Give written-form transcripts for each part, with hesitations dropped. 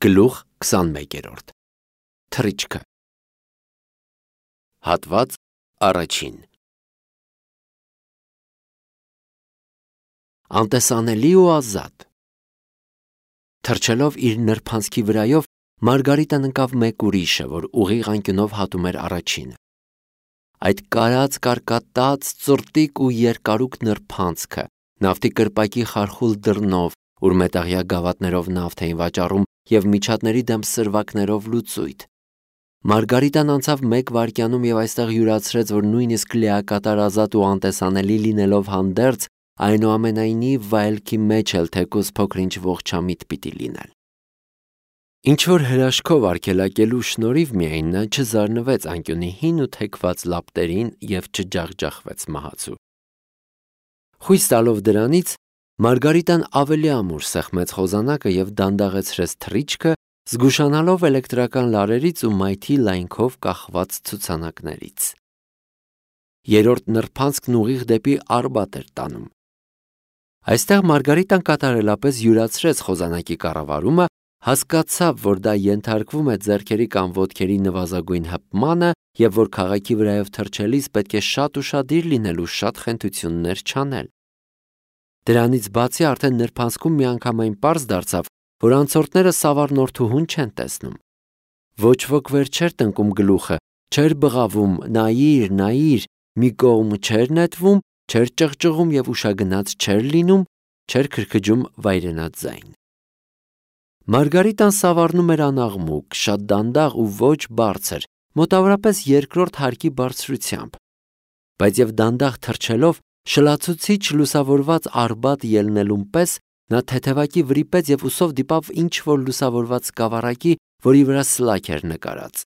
Գլուխ 21 Թռիչքը Հատված առաջին Անտեսանելի ու ազատ Թռչելով իր նրբանցքի վրայով Մարգարիտան ընկավ մեկ ուրիշը, որ ուղիղ անկյունով հատում էր առաջինը։ Այդ կարած կարկատած ծրտիկ ու երկարուկ նրբանցքը նավթի կրպակի խարխուլ դռնով, ուր մետաղյա գավաթներով նավթ էին վաճառում և միջատների դեմ սրվակներով լուծույթ։ Մարգարիտան անցավ մեկ վայրկյանում և այստեղ յուրացրեց, որ նույնիսկ լիակատար ազատ ու անտեսանելի լինելով հանդերձ, այնուամենայնիվ վայելքի մեջ էլ թեկուզ փոքր-ինչ ողջամիտ պիտի լինել։ Ինչ-որ հրաշքով արգելակելու շնորհիվ միայն նա չզարնվեց անկյունի հին ու թեքված լապտերին և չջախջախվեց մահացու։ Խույս տալով դրանից, Մարգարիտան ավելի ամուր սեղմեց խոզանակը և դանդաղեցրեց թռիչքը, զգուշանալով էլեկտրական լարերից ու մայթի լայնքով կախված ցուցանակներից։ Երրորդ նրբանցքն ուղիղ դեպի Արբատ էր տանում։ Այստեղ Մարգարիտան կատարելապես յուրացրեց խոզանակի կառավարումը, հասկացավ, որ դա ենթարկվում է ձեռքերի կամ ոտքերի նվազագույն հպմանը և որ քաղաքի վրայով թռչելիս պետք է շատ ուշադիր լինել ու շատ խենթություններ չանել։ Դրանից բացի արդեն նրբանցքում միանգամայն պարզ դարձավ, որ անցորդները սավառնորդուհուն չեն տեսնում։ Ոչ ոք վեր չէր տնկում գլուխը, չէր բղավում նայիր, մի կողմ չէր նետվում, չէր ճղճղում և ուշագնաց չէր լինում, չէր քրքջում վայրենաց ձայն։ Մարգարիտան սավառնում էր անաղմուկ, շատ դանդաղ ու ոչ բարձր, մոտավորապես երկրորդ հարկի բարձրությամբ, բայց և դանդաղ թռչելով, շլացուցիչ լուսավորված Արբատ ելնելուն պես նա թեթևակի վրիպեց և ուսով դիպավ ինչ-որ լուսավորված սկավառակի, որի վրա սլաք էր նկարած։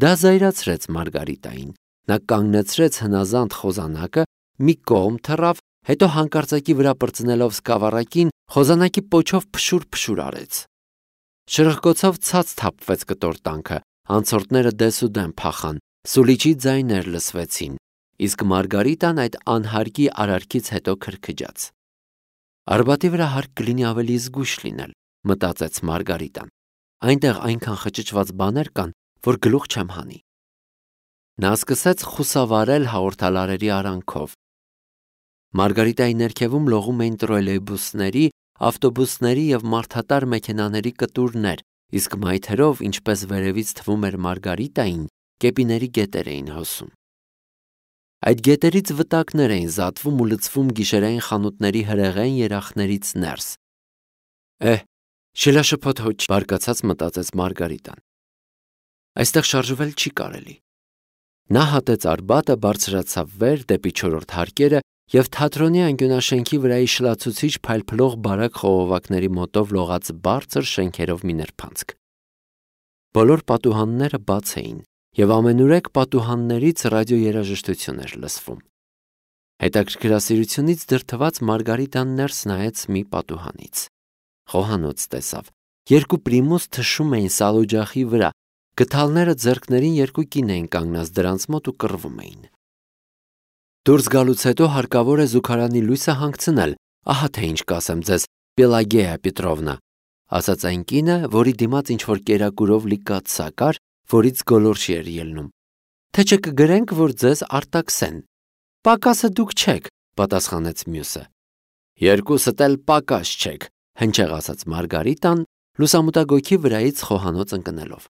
Դա զայրացրեց Մարգարիտային։ Նա կանգնեցրեց հնազանդ խոզանակը, մի կողմ թռավ, հետո հանկարծակի վրա պրծնելով սկավառակին, խոզանակի պոչով փշուր արեց։ Շրխկոցով ցած թափվեց կտորտանքը, անցորդները դեսուդեն փախան, սուլիչի ձայներ լսվեցին, իսկ Մարգարիտան այդ անհարկի արարքից հետո քրքջաց։ Արբատի վրա հարկ կլինի ավելի զգույշ լինել, մտածեց Մարգարիտան։ Այնտեղ այնքան խճճված բաներ կան, որ գլուխ չեմ հանի։ Նա սկսեց խուսավարել հաղորդալարերի արանքով։ Մարգարիտայի ներքևում լողում էին տրոլեյբուսների, ավտոբուսների և մարդատար մեքենաների կտուրներ, իսկ մայթերով, ինչպես վերևից թվում էր Մարգարիտային, կեպիների գետեր էին հոսում։ Այդ գետերից վտակներ էին զատվում ու լցվում գիշերային խանութների հրեղեն երախներից ներս։ Շիլաշփոթ հոչ, բարկացած մտածեց Մարգարիտան։ Այստեղ շարժվել չի կարելի։ Նա հատեց Արբատը, բարձրացավ վեր դեպի չորրորդ հարկերը և թատրոնի անկյունաշենքի վրայի շլացուցիչ փայլփլող բարակ խողովակների մոտով լողաց բարձր շենքերով մի նրբանցք։ Բոլոր պատուհանները բաց էին և ամենուրեք պատուհաններից ռադիոերաժշտություն էր լսվում։ Հետաքրքրասիրությունից դրդված Մարգարիտան ներս նայեց մի պատուհանից։ Խոհանոց տեսավ։ Երկու պրիմուս թշում էին սալօջախի վրա, գդալները ձեռքներին երկու կին էին կանգնած դրանց մոտ ու կռվում էին։ Դուրս գալուց հետո հարկավոր է զուգարանի լույսը հանգցնել, ահա թե ինչ կասեմ ձեզ, Պելագեյա Պետրովնա, ասաց այն կինը, որի դիմաց ինչ-որ կերակուրով լի կաթսա կար, որից գոլորշի էր ելնում։ Թե չէ կգրենք, որ ձեզ արտաքսեն։ Պակասը դուք չեք, պատասխանեց մյուսը։ Երկուսդ էլ պակաս չեք, հնչեղ ասաց Մարգարիտան, լուսամուտագույքի վրայից խոհանոց ընկնելով։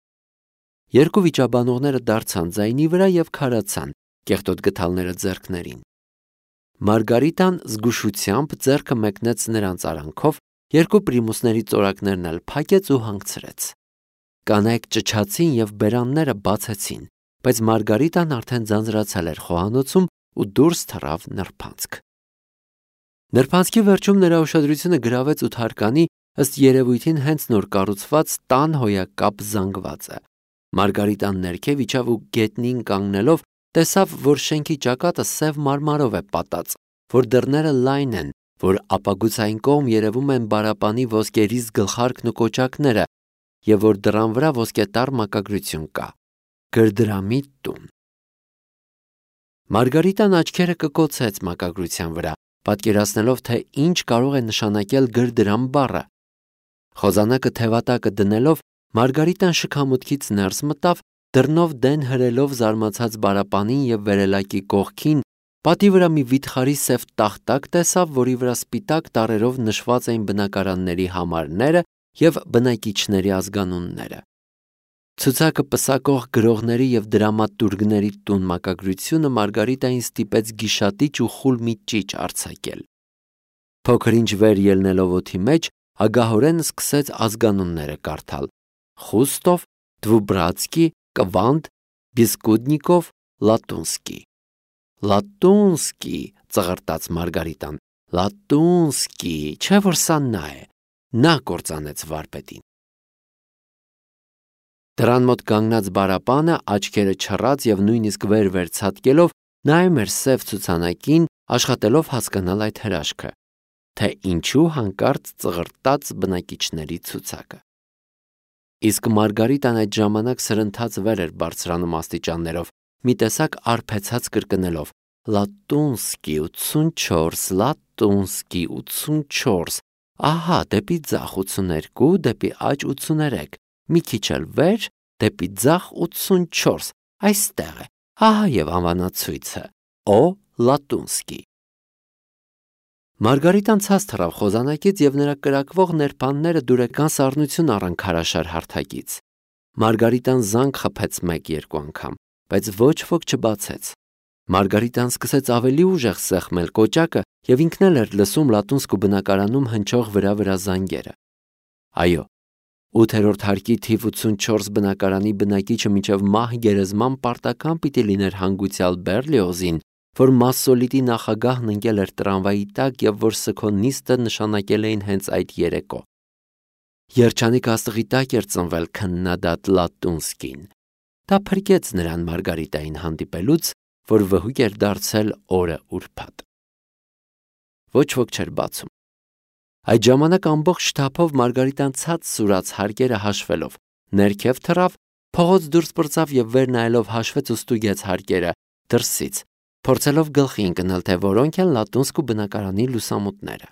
Երկու վիճաբանողները դարձան ձայնի վրա և քարացան, կեղտոտ գդալները ձեռքներին։ Մարգարիտան զգուշությամբ ձեռքը մեկնեց նրանց արանքով, երկու պրիմուսների ծորակներն էլ փակեց ու հանգցրեց։ Կանայք ճչացին և բերանները բացեցին, բայց Մարգարիտան արդեն ձանձրացել էր խոհանոցում ու դուրս թռավ նրբանցք։ Նրբանցքի վերջում նրա ուշադրությունը գրավեց ութարկանի, ըստ երևույթին հենց նոր կառուցված տան հոյակապ զանգվածը։ Մարգարիտան ներքև իջավ ու գետնին կանգնելով տեսավ, որ շենքի ճակատը սև մարմարով է պատած, որ դռները լայն են, որ ապագուցային կողմ երևում են բարապանի ոսկերիզ գլխարկն ու կոճակները և որ դռան վրա ոսկետար մակագրություն կա։ Գրդրամի տուն։ Մարգարիտան աչքերը կկոցեց մակագրության վրա, պատկերացնելով, թե ինչ կարող է նշանակել գրդրամ բառը։ Խոզանակը թևատակը դնելով Մարգարիտան շքամուտքից ներս մտավ, դռնով դեն հրելով զարմացած բարապանին եւ վերելակի կողքին պատի վրա մի վիթխարի սև տախտակ տեսավ, որի վրա սպիտակ տառերով նշված էին բնակարանների համարները եւ բնակիչների ազգանունները։ Ցուցակը պսակող գրողների եւ դրամատուրգների տուն մակագրությունը Մարգարիտային ստիպեց գիշատիչ ու խուլ մի ճիչ արձակել։ Փոքր-ինչ վեր ելնելով օդի մեջ, ագահորեն սկսեց ազգանունները կարդալ. Խուստով, Դվուբրացկի, Կվանդ, Բիսկուդնիկով, Լատունսկի։ Լատունսկի, ծղրտաց Մարգարիտան, Լատունսկի, չէ որ սա նա է, նա կործանեց վարպետին։ Դրան մոտ կանգնած բարապանը աչքերը չռած եւ նույնիսկ վեր ցատկելով նայում էր սև ցուցանակին, աշխատելով հասկանալ այդ հրաշքը, թե ինչու հանկարծ ծղրտաց բնակիչների ցուցակը։ Իսկ Մարգարիտան այդ ժամանակ սրընթաց վեր էր բարձրանում աստիճաններով, մի տեսակ արփեցած կրկնելով. Լատունսկի 84, Լատունսկի 84, ահա դեպի ձախ 82, դեպի աջ 83, մի քիչ էլ վեր, դեպի ձախ 84, այստեղ է, ահա եւ անվանացույցը, Օ Լատունսկի։ Մարգարիտան ցած թռավ խոզանակից եւ նրա կրակվող ներբանները դուրեկան սառնություն առան քարաշար հարթակից։ Մարգարիտան զանգ խփեց 1-2 անգամ, բայց ոչ ոք չբացեց։ Մարգարիտան սկսեց ավելի ուժեղ սեղմել կոճակը եւ ինքն էլ էր լսում Լատունսկու բնակարանում հնչող վրա զանգերը։ Այո, 8-րդ հարկի թիվ 84 բնակարանի բնակիչը մինչև մահ գերեզման պարտական պիտի լիներ հանգուցյալ Բերլիոզին, որ Մասսոլիտի նախագահն ընկել էր տրամվայի տակ եւ որ սքո նիստը նշանակել էին հենց այդ երեկո։ Երջանիկ աստղի տակ էր ծնվել քննադատ Լատունսկին։ Դա փրկեց նրան Մարգարիտային հանդիպելուց, որ վհուկ էր դարձել օրը ուրբաթ։ Ոչ ոք չէր բացում։ Այդ ժամանակ ամբողջ շտապով Մարգարիտան ցած սուրաց հարկերը հաշվելով, ներքև թռավ, փողոց դուրս պրծավ եւ վեր նայելով հաշվեց ու ստուգեց հարկերը դրսից, փորձելով գլխի ընկնել, թե որոնք են Լատունսկու բնակարանի լուսամուտները։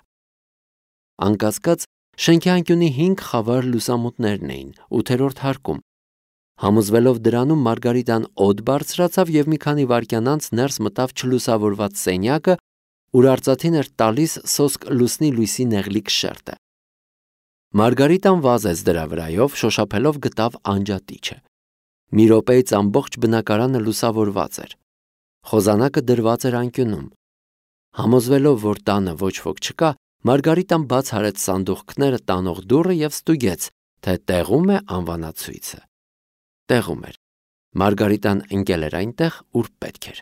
Անկասկած, շենքի անկյունի 5 խավար լուսամուտներն էին 8-րդ հարկում։ Համոզվելով դրանում Մարգարիտան օդ բարձրացավ եւ մի քանի վայրկյան անց ներս մտավ չլուսավորված սենյակը, ուր արծաթին էր տալիս սոսկ լուսնի լույսի նեղլիկ շերտը։ Մարգարիտան վազեց դրա վրայով, շոշափելով գտավ անջատիչը։ Մի րոպեից ամբողջ բնակարանը լուսավորված էր։ Խոզանակը դրված էր անկյունում։ Համոզվելով, որ տանը ոչ ոք չկա, Մարգարիտան բաց արեց սանդուղքները տանող դուռը եւ ստուգեց, թե տեղում է անվանացույցը։ Տեղում էր։ Մարգարիտան ընկել էր այնտեղ, ուր պետք էր։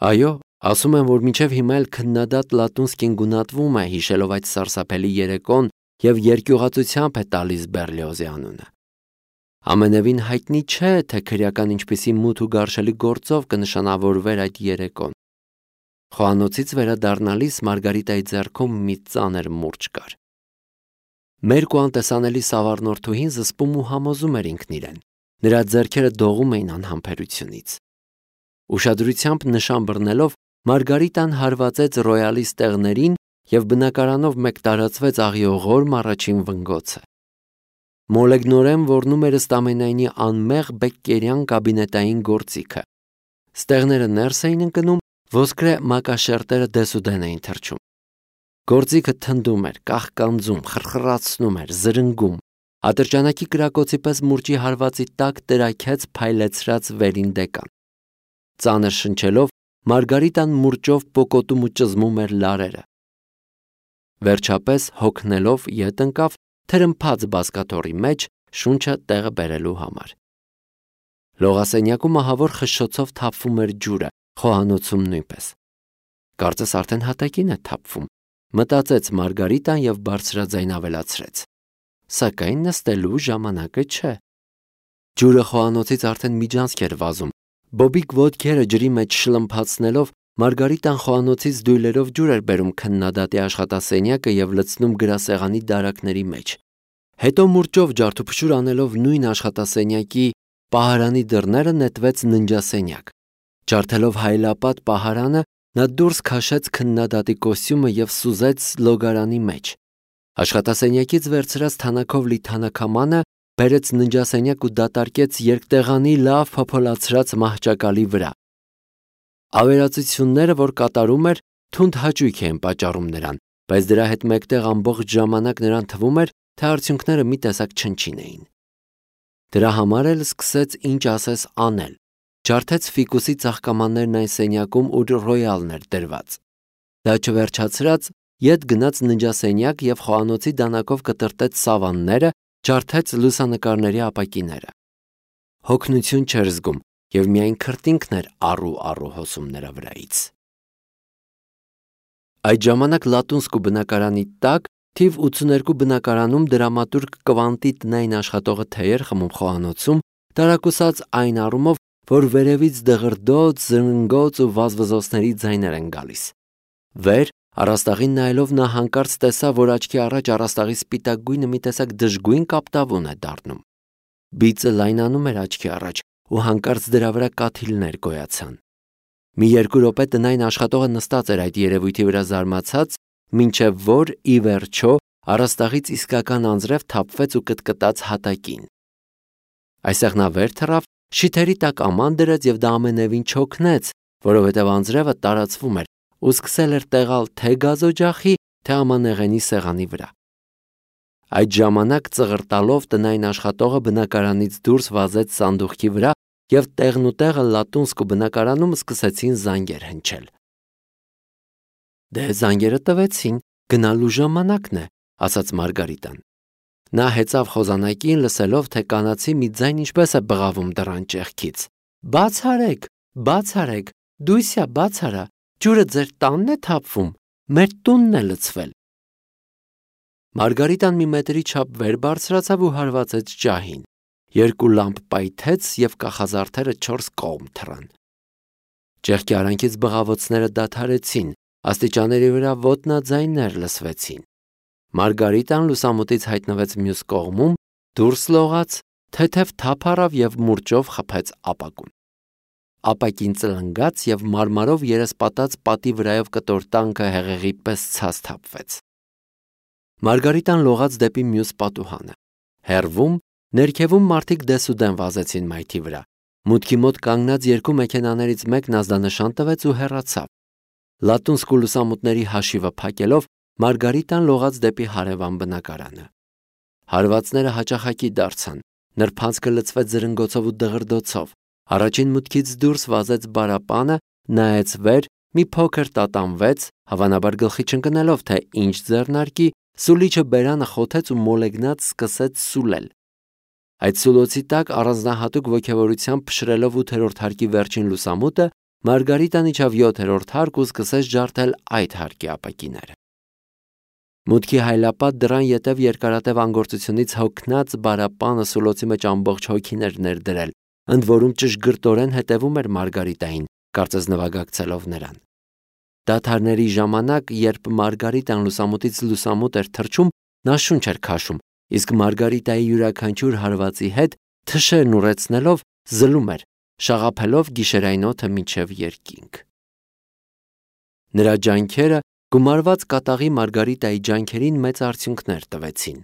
Այո, ասում են, որ մինչև հիմա էլ քննադատ Լատունսկին գունատվում է, հիշելով այդ սարսափելի երեկոն եւ երկյուղացությամբ է տալիս Բերլիոզի անունը։ Ամենևին հայտնի չէ, թե քրեական ինչպիսի մութ ու գարշելի գործով կնշանավորվեր այդ երեկոն։ Խոհանոցից վերադառնալիս Մարգարիտայի ձեռքում մի ծանր մուրճ կար։ Մերկ ու անտեսանելի սավառնորդուհին զսպում ու համոզում էր ինքն իրեն։ Նրա ձեռքերը դողում էին անհամբերությունից։ Ուշադրությամբ նշան բռնելով Մարգարիտան հարվածեց ռոյալի ստեղներին եւ բնակարանով մեկ տարածվեց աղիողորմ առաջին վնգոցը։ Մոլեգնորեն ոռնում էր ըստ ամենայնի անմեղ բեկկերյան կաբինետային գործիքը։ Ստեղները ներս էին ընկնում, ոսկրե մակաշերտերը դեսուդեն էին թռչում։ Գործիքը թնդում էր, կաղկանձում, խրխրացնում էր, զրնգում։ Ատրճանակի կրակոցի պես մուրճի հարվածի տակ տրաքեց փայլեցրած վերին դեկան։ Ծանր շնչելով Մարգարիտան մուրճով պոկոտում ու ճզմում էր լարերը։ Վերջապես հոգնելով ետ ընկավ թրմփած բազկաթոռի մեջ շունչը տեղը բերելու համար։ Լողասենյակում ահավոր խշշոցով թափվում էր ջուրը, խոհանոցում նույնպես։ Կարծես արդեն հատակին է թափվում, մտածեց Մարգարիտան եւ բարձրաձայն ավելացրեց. Սակայն նստելու ժամանակը չէ։ Ջուրը խոհանոցից արդեն միջանցք էր վազում։ Բոբիկ ոդքերը ջրի մեջ շլմփացնելով Մարգարիտան խոհանոցից դույլերով ջուր էր բերում քննադատի աշխատասենյակը եւ լցնում գրասեղանի դարակների մեջ։ Հետո մուրճով ջարդուփշուր անելով նույն աշխատասենյակի պահարանի դռները նետվեց ննջասենյակ։ Ջարդելով հայլապատ պահարանը նա դուրս քաշեց քննադատի կոստյումը եւ սուզեց լոգարանի մեջ։ Աշխատասենյակից վերցրած թանաքով լի թանաքամանը բերեց ննջասենյակ ու դատարկեց երկտեղանի լավ փոփոլացրած մահճակալի վրա։ Ավերածությունները, որ կատարում էր, թունդ հաճույք էին պատճառում նրան, բայց դրա հետ մեկտեղ ամբողջ ժամանակ նրան թվում էր, թե արդյունքները մի տեսակ չնչին էին։ Դրա համար էլ սկսեց ինչ ասես անել։ Ջարդեց ֆիկուսի ծաղկամաններն այն սենյակում, ուր ռոյալն էր դրված։ Դա չվերջացրած ետ գնաց ննջասենյակ և խոհանոցի դանակով կտրտեց սավանները, ջարդեց լուսանկարների ապակիները։ Հոգնություն չէր զգում և միայն քրտինքն էր առու հոսում նրա վրայից։ Այդ ժամանակ Լատունսկու բնակարանի տակ թիվ 82 բնակարանում դրամատուրգ Կվանտի տնային աշխատողը թեյ էր խմում խոհանոցում, տարակուսած այն առումով, որ վերևից դղրդոց, զրնգոց ու վազվզոցների ձայներ են գալիս։ Վեր առաստաղին նայելով նա հանկարծ տեսավ, որ աչքի առաջ առաստաղի սպիտակ գույնը մի տեսակ դժգույն կապտավուն է դառնում։ Բիծը լայնանում էր աչքի առաջ ու հանկարծ դրա վրա կաթիլներ գոյացան։ Մի 2 րոպե տնային աշխատողը նստած էր այդ երևույթի վրա զարմացած, մինչև որ ի վերջո առաստաղից իսկական անձրև թափվեց ու կտկտաց հատակին։ Այստեղ նա վեր թռավ, շիթերի տակ աման դրեց և դա ամենևին չօգնեց, որովհետև անձրևը տարածվում էր ու սկսել էր տեղալ թե գազօջախի, թե ամանեղենի սեղանի վրա։ Այդ ժամանակ ծղրտալով տնային աշխատողը բնակարանից դուրս վազեց սանդուղքի վրա և տեղնուտեղը Լատունսկու բնակարանում սկսեցին զանգեր հնչել։ «Դե զանգերը տվեցին, գնալու ժամանակն է», ասաց Մարգարիտան։ Նա հեծավ խոզանակին, լսելով, թե կանացի մի ձայն ինչպես է բղավում դռան ճեղքից. «Բաց արեք, Դույսյա, բաց արա, ջուրը ձեր տանն է թափվում, մեր տունն է լցվել»։ Մարգարիտան մի մետրի չափ վեր բարձրացավ ու հարվածեց ջահին։ 2 լամպ պայթեց և կախազարդերը 4 կողմ թռան։ Ճեղքի արանքից բղավոցները դադարեցին, աստիճանների վրա ոտնաձայններ լսվեցին։ Մարգարիտան լուսամուտից հայտնվեց մյուս կողմում, դուրս լողաց, թեթև թափ առավ և մուրճով խփեց ապակուն։ Ապակին ծլնգաց և մարմարով երեսպատած պատի վրայով կտոր տանկը հեղեղի պես ցած թափվեց։ Մարգարիտան լողաց դեպի մյուս պատուհանը։ Հեռվում, ներքևում մարդիկ դեսուդեն վազեցին մայթի վրա։ Մուտքի մոտ կանգնած 2 մեքենաներից մեկն ազդանշան տվեց ու հեռացավ։ Լատունսկու լուսամուտների հաշիվը փակելով, Մարգարիտան լողաց դեպի հարևան բնակարանը։ Հարվածները հաճախակի դարձան, նրբանցքը լցվեց զրնգոցով ու դղրդոցով։ Առաջին մուտքից դուրս վազեց բարապանը, նայեց վեր, մի փոքր տատանվեց, հավանաբար գլխի չընկնելով, թե ինչ ձեռնարկի, սուլիչը բերանը խոթեց ու մոլեգնած սկսեց սուլել։ Այդ սուլոցի տակ առանձնահատուկ ոգևորությամբ փշրելով 8-րդ հարկի վերջին լուսամուտը, Մարգարիտան իջավ 7-րդ հարկ ու սկսեց ջարդել այդ հարկի ապակիները։ Մուտքի հայլապատ դռան ետև երկարատև անգործությունից հոգնած բարապանը սուլոցի մեջ ամբողջ հոգին էր ներդրել, ընդ որում ճշգրտորեն հետևում էր Մարգարիտային, կարծես նվագակցելով նրան։ Դադարների ժամանակ, երբ Մարգարիտան լուսամուտից լուսամուտ էր թռչում, նա շունչ էր քաշում, իսկ Մարգարիտայի յուրաքանչյուր հարվածի հետ, թշերն ուռեցնելով, զլում էր, շաղափելով գիշերային օդը մինչև երկինք։ Նրա ջանքերը գումարված կատաղի Մարգարիտայի ջանքերին մեծ արդյունքներ տվեցին։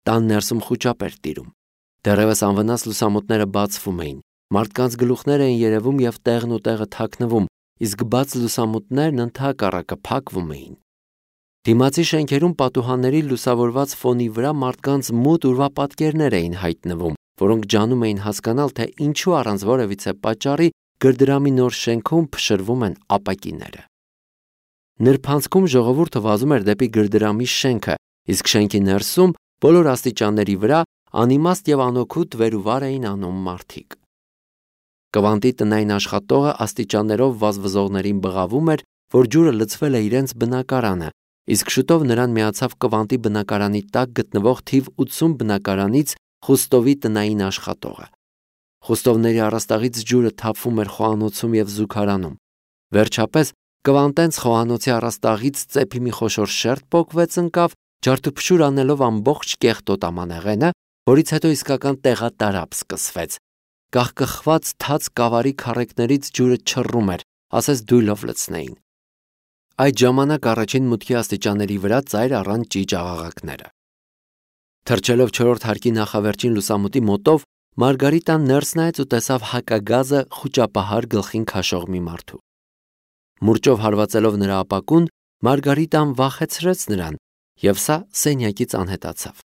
Տան ներսում խուճապ էր տիրում։ Դեռևս անվնաս լուսամուտները բացվում էին, մարդկանց գլուխներ էին երևում և տեղն ու տեղը թաքնվում, իսկ բաց լուսամուտներն ընդհակառակը փակվում էին։ Դիմացի շենքերում պատուհանների լուսավորված ֆոնի վրա մարդկանց մութ ուրվապատկերներ էին հայտնվում, որոնք ջանում էին հասկանալ, թե ինչու առանց որևիցե պատճառի գրդրամի նոր շենքում փշրվում են ապակիները։ Նրբանցքում ժողովուրդը վազում էր դեպի գրդրամի շենքը, իսկ շենքի ներսում բոլոր աստիճանների վրա անիմաստ և անօգուտ վեր ու վար էին անում մարդիկ։ Կվանտի տնային աշխատողը աստիճաններով վազվզողներին բղավում էր, որ ջուրը լցվել է իրենց բնակարանը, իսկ շուտով նրան միացավ Կվանտի բնակարանի տակ գտնվող թիվ 80 բնակարանից Խուստովի տնային աշխատողը։ Խուստովների առաստաղից ջուրը թափվում էր խոհանոցում և զուգարանում։ Վերջապես Կվանտենց խոհանոցի առաստաղից ծեփի մի խոշոր շերտ պոկվեց ընկավ, ջարդուփշուր անելով ամբողջ կեղտոտ ամանեղենը, որից հետո իսկական տեղատարափ սկսվեց։ Կախկխված թաց կավարի քառեկներից ջուրը չռում էր, ասես դույլով լցնեին։ Այդ ժամանակ առաջին մուտքի աստիճանների վրա ծայր առան ճիճ աղաղակները։ Թռչելով 4-րդ հարկի նախավերջին լուսամուտի մոտով, Մարգարիտան ներս նայեց ու տեսավ հակագազը խուճապահար գլխին քաշող մի մարդու։ Մուրճով հարվածելով նրա ապակուն, Մարգարիտան վախեցրեց նրան, և սա սենյակից անհետացավ։